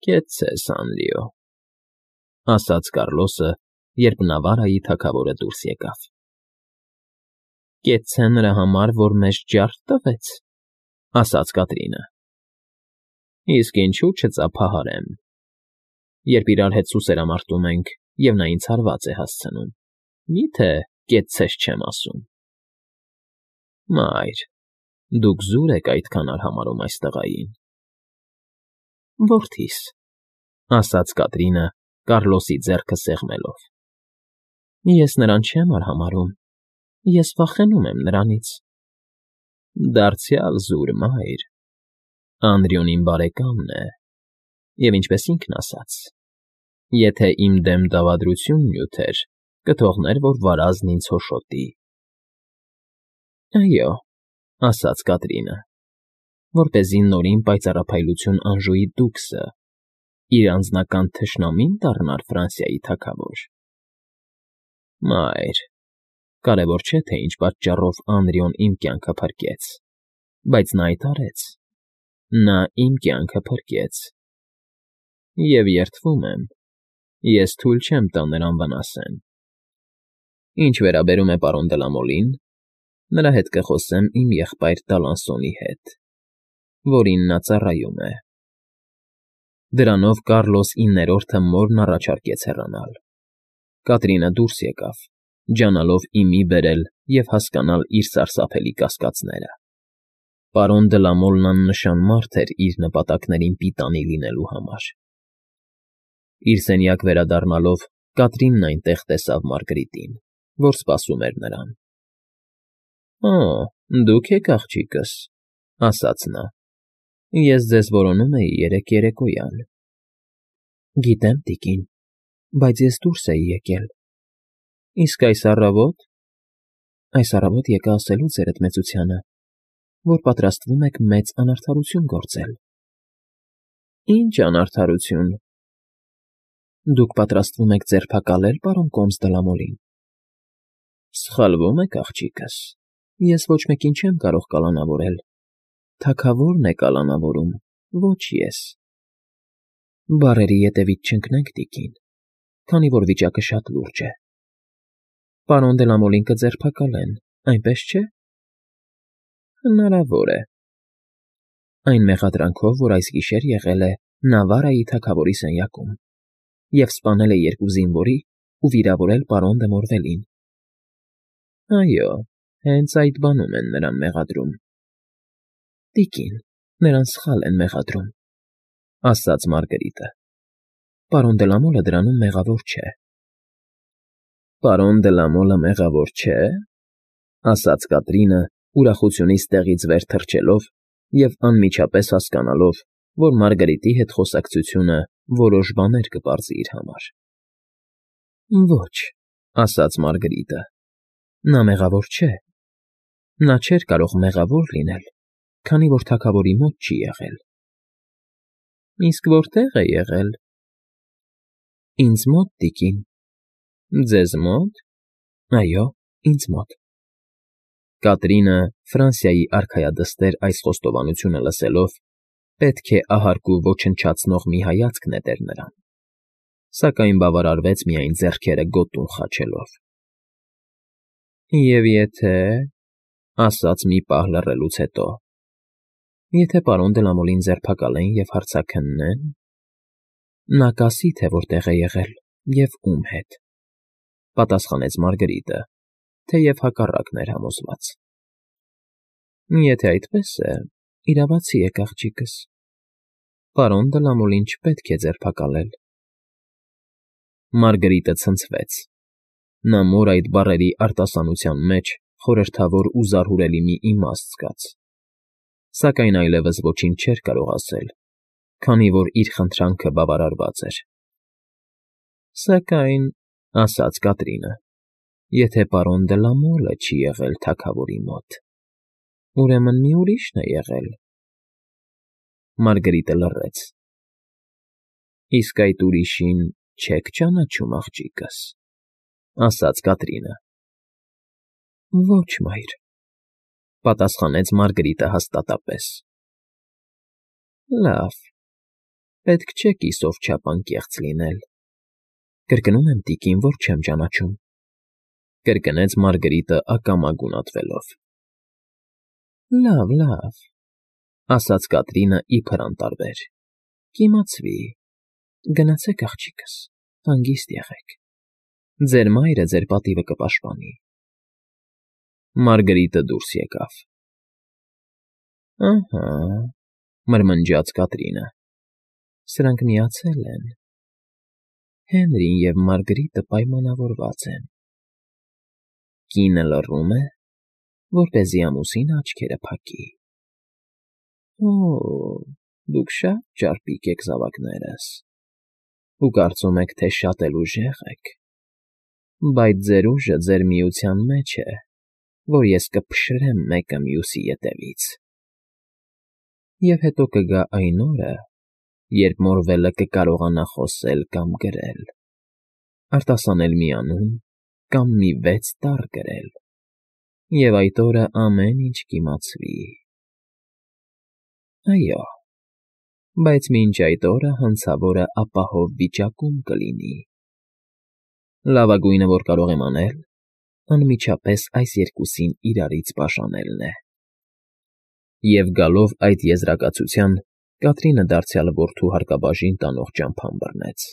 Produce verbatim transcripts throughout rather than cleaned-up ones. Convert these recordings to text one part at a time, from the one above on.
Կեցցես, Անրիո,֊ ասաց Կառլոսը, երբ Նավարայի թագավորը դուրս եկավ։ ֊ Կեցցե նրա համար, որ մեզ ջարդ տվեց,֊ ասաց Կատրինը։ ֊ Իսկ ինչու չծափահարեմ, երբ իրար հետ սուսերամարտում ենք, և նա ինձ հարված է հասցնում, մի՞թե կեցցես չեմ ասում։ ֊ Մայր, դուք զուր եք այդքան արհամարհում այս տղային։ ֊ Որդիս,֊ ասաց Կատրինը, Կառլոսի ձեռքը սեղմելով,֊ ես նրան չեմ արհամարհում, ես վախենում եմ նրանից։ ֊ Դարձյալ զուր, մայր, Անրիոն իմ բարեկամն է, և, ինչպես ինքն ասաց, եթե իմ դեմ դավադրություն նյութեր, կթողներ, որ վարազն ինձ հոշոտի։ ֊ Այո,֊ ասաց Կատրինը, որպեսզի նորին պայծառափայլություն անժուի դուքսը, իր անձնական թշնամի՞ն դառնար Ֆրանսիայի թագավոր։ ֊ Մայր, կարևոր չէ, թե ինչ պատճառով Անրիոն իմ կյանքը փրկեց, բայց նա այդ արեց, նա իմ կյանքը փրկեց, և երդվում եմ, ես թույլ չեմ տա նրան վնասեն։ Ինչ վերաբերում է պարոն Դլամոլին, նրա հետ կխոսեմ իմ եղբայր Տալանսոնի հետ, որին նա ծառայում է։ Դրանով Կառլոս իններորդը մորն առաջարկեց հեռանալ։ Կատրինը դուրս եկավ, ջանալով ի մի բերել և հասկանալ իր սարսափելի կասկածները։ Պարոն Դլամոլն աննշան մարդ էր իր նպատակներին պիտանի լինելու համար։ Իր սենյակ վերադառնալով Կատրինն այնտեղ տեսավ Մարգարիտին, որ սպասում էր նրան։ ֊ Օ, դուք եք, աղջիկս,֊ ասաց նա, ես ձեզ որոնում էի երեկ երեկոյան։ ֊ Գիտեմ, տիկին, բայց ես դուրս էի եկել։ ֊ Իսկ այս առավո՞տ։ ֊ Այս առավոտ եկա ասելու ձերդ մեծությանը, որ պատրաստվում եք մեծ անարդարություն գործել։ ֊ Ի՞նչ անարդարություն։ ֊ Դուք պատրաստվում եք ձերբակալել պարոն կոմս Դլամոլին։ ֊ Սխալվում եք, աղջիկս, ես ոչ մեկին չեմ կարող կալանավորել, թագավորն է կալանավորում, ոչ ես։ ֊ Բառերի ետևից չընկնենք, տիկին, քանի որ վիճակը շատ լուրջ է։ Պարոն Դլամոլին կձերբակալեն, այնպես չէ՞։ ֊ Հնարավոր է։ ֊ Այն մեղադրանքով, որ այս գիշեր եղել է Նավարայի թագավորի սենյակում և սպանել է երկու զինվորի ու վիրավորել պարոն դը Մորվելին։ ֊ Այո, հենց այդ բանում են նրան մեղադրում։ ֊ Տիկին, նրան սխալ են մեղադրում,֊ ասաց Մարգարիտը։ Պարոն Դլամոլը դրանում մեղավոր չէ։ ֊ Պարոն Դլամոլը մեղավոր չէ՞, ասաց Կատրինը, ուրախությունից տեղից վեր թռչելով և անմիջապես հասկանալով, որ Մարգարիտի հետ խոսակցությունը որոշ բաներ կպարզի իր համար։ ֊ Ոչ,֊ ասաց Մարգարիտը, նա մեղավոր չէ։ Նա չէր կարող մեղավոր լինել, քանի որ թագավորի մոտ չի եղել։ ֊ Իսկ որտե՞ղ է եղել։ ֊ Ինձ մոտ, տիկին։ ֊ Ձեզ մո՞տ։ ֊ Այո, ինձ մոտ։ Կատրինը, Ֆրանսիայի արքայադստեր այս խոստովանությունը լսելով, պետք է ահարկու ոչնչացնող մի հայացք նետեր նրան, սակայն բավարարվեց միայն ձեռքերը գոտուն խաչելով։ ֊ Եվ եթե,֊ ասաց մի պահ լռելուց հետո,֊ եթե պարոն Դլամոլին ձերբակալեն և հարցաքննեն։ ֊ Նա կասի, թե որտեղ է եղել և ում հետ,֊ պատասխանեց Մարգարիտը, թեև հակառակն էր համոզված։ ֊ Եթե այդպես է, իրավացի եք, աղջիկս, պարոն Դլամոլին չպետք է ձերբակալել։ Մարգարիտը ցնցվեց։ Նա մոր այդ բառերի արտասանության մեջ խորհրդավոր ու զարհուրելի մի իմաստ զգաց, սակայն այլևս ոչինչ չէր կարող ասել, քանի որ իր խնդրանքը բավարարված էր։ ֊ Սակայն,֊ ասաց Կատրինը,֊ եթե պարոն Դլամոլը չի եղել թագավորի մոտ, ուրեմն մի ուրիշն է եղել։ Մարգարիտը լռեց։ ֊ Իսկ այդ ուրիշին չե՞ք ճանաչում, աղջիկս,֊ ասաց Կատրինը։ ֊ Ոչ, մայր,֊ պատասխանեց Մարգարիտը հաստատապես։ ֊ Լավ, Պետք չէ կիսով չափ անկեղծ լինել։ Կրկնում եմ, տիկին, որ չեմ ճանաչում,֊ կրկնեց Մարգարիտը ակամա գունատվելով։ Լավ, լավ,֊ ասաց Կատրինը իբր անտարբեր,֊ կիմացվի, գնացեք, աղջիկս, հանգիստ եղեք, ձեր մայրը ձեր պատիվը կպաշտպանի։ Մարգարիտը դուրս եկավ։ Ահա,֊ մրմնջաց Կատրինը,֊ սրանք միացել են։ Հենրին և Մարգարիտը պայմանավորված են։ Կինը լռում է, որպեսզի ամուսինը աչքերը փակի։ Օ՜, դուք շատ ճարպիկ եք, զավակներս, ու կարծում եք, թե շատ էլ ուժեղ եք, բայց ձեր ուժը ձեր միության մեջ է, որ ես կփշրեմ մեկը մյուսի ետևից։ Եվ հետո կգա այն օրը, երբ Մորվելը կկարողանա խոսել կամ գրել, արտասանել մի անուն կամ մի վեց տառ գրել, և այդ օրը ամեն ինչ կիմացվի։ Այո, բայց մինչ այդ օրը հանցավորը ապահով վիճակում կլինի։ Լավագույնը, որ կարող եմ անել, անմիջապես այս երկուսին իրարից բաժանելն է։ Եվ գալով այդ եզրակացության, Կատրինը դարձյալ որդու հարկաբաժին տանող ճամփան բռնեց,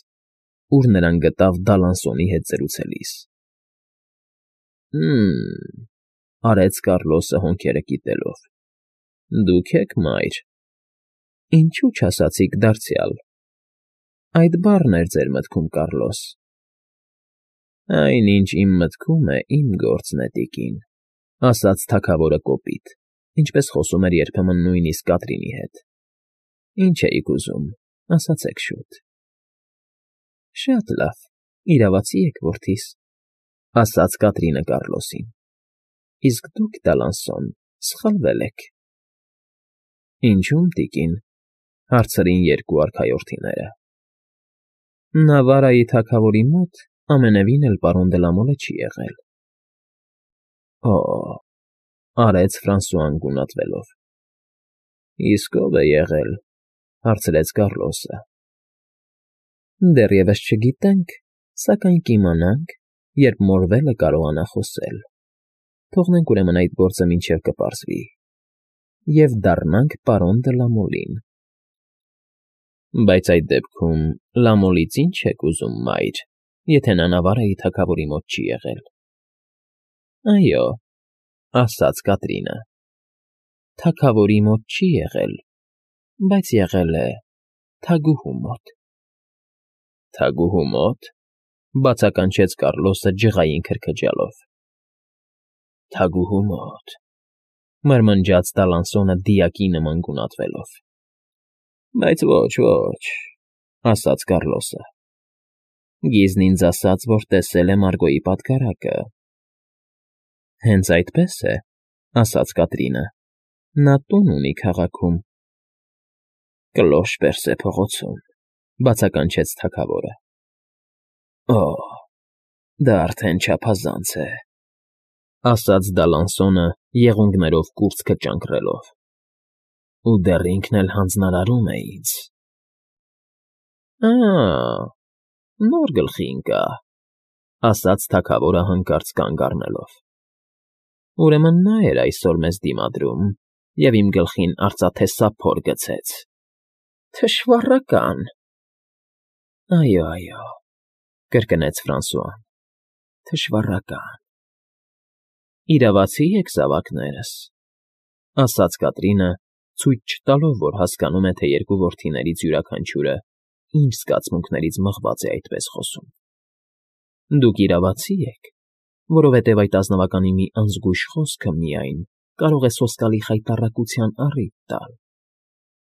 ուր նրան գտավ Դալանսոնի հետ զրուցելիս։ Հը՜մ,֊ արեց Կառլոսը հոնքերը կիտելով,֊ դուք եք մայր։ Ինչու չասացիք դարձյալ։ Այդ բառն էր ձեր մտքում, Կառլոս։ Այն, ինչ իմ մտքում է, իմ գործն է, տիկին,֊ ասաց թագավորը կոպիտ, ինչպես խոսում էր երբեմն նույնիսկ Կատրինի հետ։ Ինչ էիք ուզում, ասացեք շուտ։ Շատ լավ, իրավացի եք, որդիս,֊ ասաց Կատրինը Կառլոսին։ Իսկ դուք, Դալանսոն, սխալվել եք։ Ինչո՞ւմ, տիկին,֊ հարցրին երկու արքայորդիները։ Նավարայի թագավորի մոտ ամենևին էլ պարոն դե Լա Մոլը չի եղել։ Օ՜, արեց Ֆրանսուան գունատվելով։ Իսկ ո՞վ է եղել, հարցրեց Կառլոսը։ Դեռևս չգիտենք, սակայն կիմանանք, երբ Մորվելը կարողանա խոսել։ Թողնենք ուրեմն այդ գործը մինչև կպարզվի, և դառնանք պարոն դե Լա Մոլին։ Բայց այդ դեպքում Լա Մոլից ի՞նչ եք ուզում, մայր, եթե նա Նավարայի թագավորի մոտ չի եղել։ Այո, ասաց Կատրինը, թագավորի մոտ չի եղել, բայց եղել է թագուհու մոտ։ Թագուհու մոտ,֊ բացականչեց Կառլոսը ջղային քրքջալով։ Թագուհու մոտ,֊ մրմնջաց Դալանսոնը դիակի նման գունատվելով։ Բայց ոչ, ոչ,֊ ասաց Կառլոսը։ Գիզն ինձ ասաց, որ տեսել է Մարգոյի պատգարակը։ Հենց այդպես է,֊ ասաց Կատրինը, նա տուն ունի քաղաքում։ Կլոշ Պերսե փողոցում,֊ բացականչեց թագավորը։ Օ՜, դա արդեն չափազանց է,֊ ասաց Դալանսոնը եղունգներով կուրծքը ճանկռելով։ Ու դեռ ինքն էլ հանձնարարում է ինձ։ Ա՜, նոր գլխի ընկա,֊ ասաց թագավորը հանկարծ կանգ առնելով։ Ուրեմն նա էր այսօր մեզ դիմադրում և իմ գլխին արծաթե սափոր գցեց։ Թշվառական։ Այո, այո,֊ կրկնեց Ֆրանսուան,֊ թշվառական։ Իրավացի եք, զավակներս,֊ ասաց Կատրինը, ցույց չտալով, որ հասկանում է, թե երկու որդիներից յուրաքանչյուրը ինչ զգացմունքներից մղված է այդպես խոսում։ Դուք իրավացի եք, որովհետև այդ ազնվականի մի անզգույշ խոսքը միայն կարող է սոսկալի խայտառակության առիթ տալ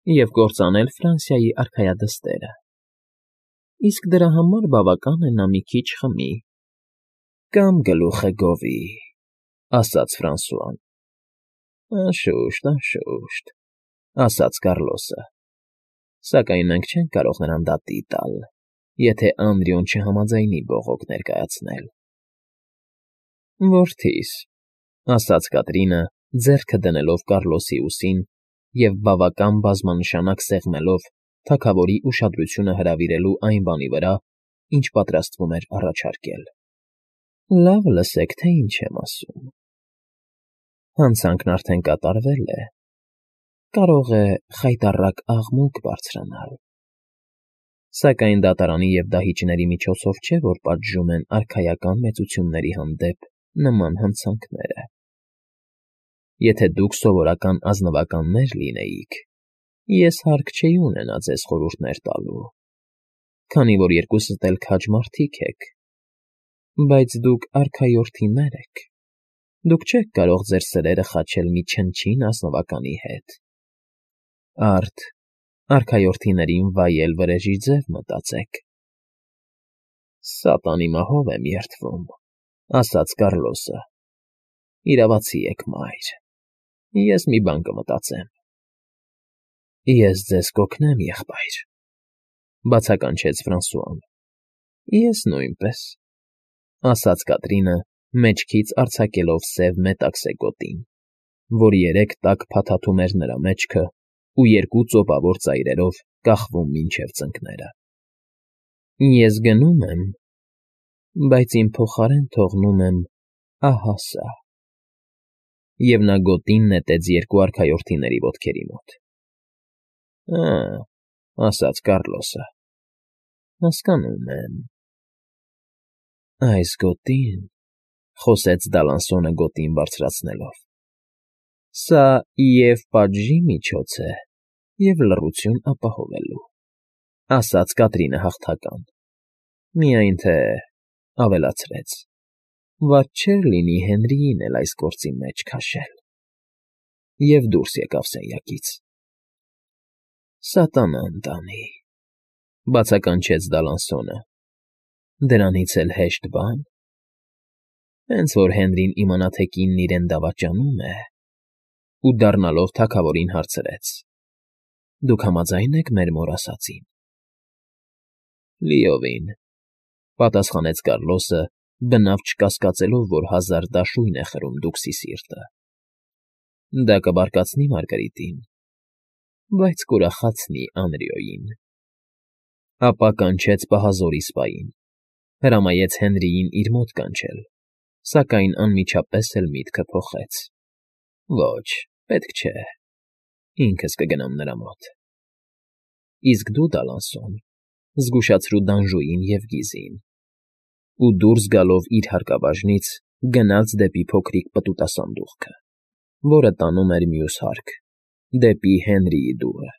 և կործանել Ֆրանսիայի արքայադստերը։ Իսկ դրա համար բավական է նա մի քիչ խմի։ Կամ գլուխը գովի, ասաց Ֆրանսուան։ Անշուշտ, անշուշտ, ասաց Կառլոսը, սակայն մենք չենք կարող նրան դատի տալ, եթե Անդրեոն չհամաձայնի բողոք ներկայացնել։ Որդիս,֊ ասաց Կատրինը, ձեռքը դնելով Կառլոսի ուսին և բավական բազմանշանակ սեղմելով, թագավորի ուշադրությունը հրավիրելու այն բանի վրա, ինչ պատրաստվում էր առաջարկել։ Լավ լսեք, թե ինչ եմ ասում։ Հանցանքն արդեն կատարվել է, կարող է խայտառակ աղմուկ բարձրանալ։ Սակայն դատարանի և դահիճների միջոցով չէ, որ պատժում են արքայական մեծությունների հանդեպ նման հանցանքները։ Եթե դուք սովորական ազնվականներ լինեիք, ես հարկ չէի ունենա ձեզ խորհուրդներ տալու, քանի որ երկուսդ էլ քաջ մարդիկ եք, բայց դուք արքայորդիներ եք, դուք չեք կարող ձեր սրերը խաչել մի չնչին ազնվականի հետ։ Արդ արքայորդիներին վայել վրեժի ձև մտածեք։ Սատանի մահով եմ երդվում, ասաց Կառլոսը։ Իրավացի եք, մայր, ես մի բան կմտածեմ։ Ես ձեզ կօգնեմ, եղբայր, բացականչեց Ֆրանսուան։ Ես նույնպես, ասաց Կատրինը, մեջքից արձակելով սև մետաքսե գոտին, որ երեք տակ փաթաթում էր նրա մեջքը ու երկու ծոպավոր ծայրերով կախվում մինչև ծնկները։ Ես գնում եմ, բայց իմ փոխարեն թողնում եմ ահա սա։ Եվ նա գոտին նետեց երկու արքայորդիների ոտքերի մոտ։ Ա, ասաց Կառլոսը, հասկանում եմ։ Այս գոտին, խոսեց Դալանսոնը գոտին բարձրացնելով, սա և՛ պատժի միջոց է, և՛ լռություն ապահովելու, ասաց Կատրինը հաղթական, միայն թե, ավելացրեց, վատ չէր լինի Հենրիին էլ այս գործի մեջ քաշել։ Եվ դուրս եկավ սենյակից։ Սատանան տանի, բացականչեց Դալանսոնը, դրանից էլ հեշտ բա՞ն։ Հենց որ Հենրին իմանա, թե կինն իրեն դավաճանում է, ու դառնալով թագավորին հարցրեց. դուք համաձա՞յն եք մեր մոր ասածին։ Լիովին, պատասխանեց Կառլոսը, բնավ չկասկածելով, որ հազար դաշույն է խրում դուքսի սիրտը։ Դա կբարկացնի Մարգարիտին, բայց կուրախացնի Անրիոյին։ Ապա կանչեց պահազորի սպային, հրամայեց Հենրիին իր մոտ կանչել, սակայն անմիջապես էլ միտքը փոխեց։ Ոչ, պետք չէ, ինքս կգնամ նրա մոտ։ Իսկ դու, Դալանսոն, զգուշացրու Դանժուին և Գիզին, ու դուրս գալով իր հարկաբաժնից գնաց դեպի փոքրիկ պտուտասանդուղքը, որը տանում էր մյուս հարկ, դեպի Հենրիի դուռը։